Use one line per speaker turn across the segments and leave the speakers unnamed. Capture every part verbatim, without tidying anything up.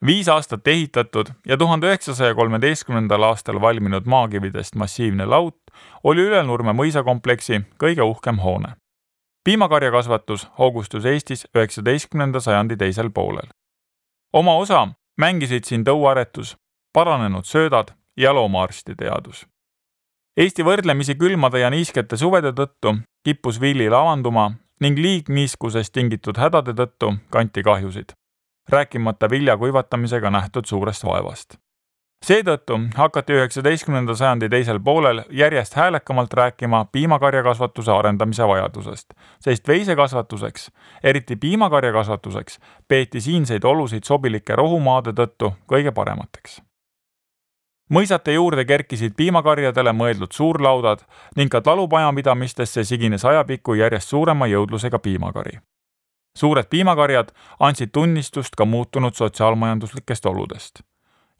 Viis aastat ehitatud ja tuhande üheksasaja kolmeteistkümnendal aastal valminud maakividest massiivne laut oli Ülenurme mõisakompleksi kõige uhkem hoone. Piimakarjakasvatus hoogustus Eestis üheksateistkümnenda sajandi teisel poolel. Oma osa mängisid siin tõuaretus, paranenud söödad ja loomaarsti teadus. Eesti võrdlemisi külmade ja niiskete suvede tõttu kippus villi lavanduma ning liigniiskusest tingitud hädade tõttu kanti kahjusid, rääkimata vilja kuivatamisega nähtud suurest vaevast. Seetõttu hakati üheksateistkümnenda sajandi teisel poolel järjest häälekamalt rääkima piimakarjakasvatuse arendamise vajadusest, sest veisekasvatuseks, eriti piimakarjakasvatuseks, peeti siinseid olusid sobilike rohumaade tõttu kõige paremateks. Mõisate juurde kerkisid piimakarjadele mõeldud suurlaudad ning ka talupajamidamistesse sigines ajapikku järjest suurema jõudlusega piimakari. Suured piimakarjad andsid tunnistust ka muutunud sotsiaalmajanduslikest oludest.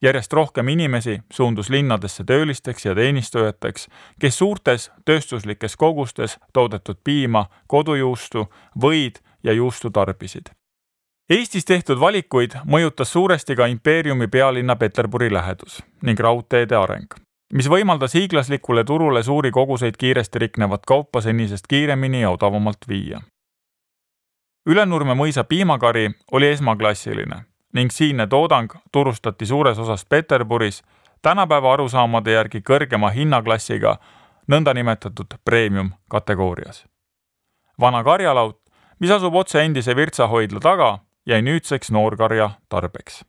Järjest rohkem inimesi suundus linnadesse töölisteks ja teenistujateks, kes suurtes tööstuslikes kogustes toodetud piima, kodujuustu, võid ja juustu tarbisid. Eestis tehtud valikuid mõjutas suuresti ka impeeriumi pealinna Peterburi lähedus ning raudteede areng, mis võimaldas hiiglaslikule turule suuri koguseid kiiresti riknevat kaupa senisest kiiremini ja odavamalt viia. Ülenurme mõisa piimakari oli esmaklassiline ning siinne toodang turustati suures osas Peterburis tänapäeva arusaamade järgi kõrgema hinnaklassiga nõndanimetatud premium kategoorias. Vana karjalaut, mis asub otse endise Virtsa hoidla taga, jäi nüüdseks noorkarja tarbeks.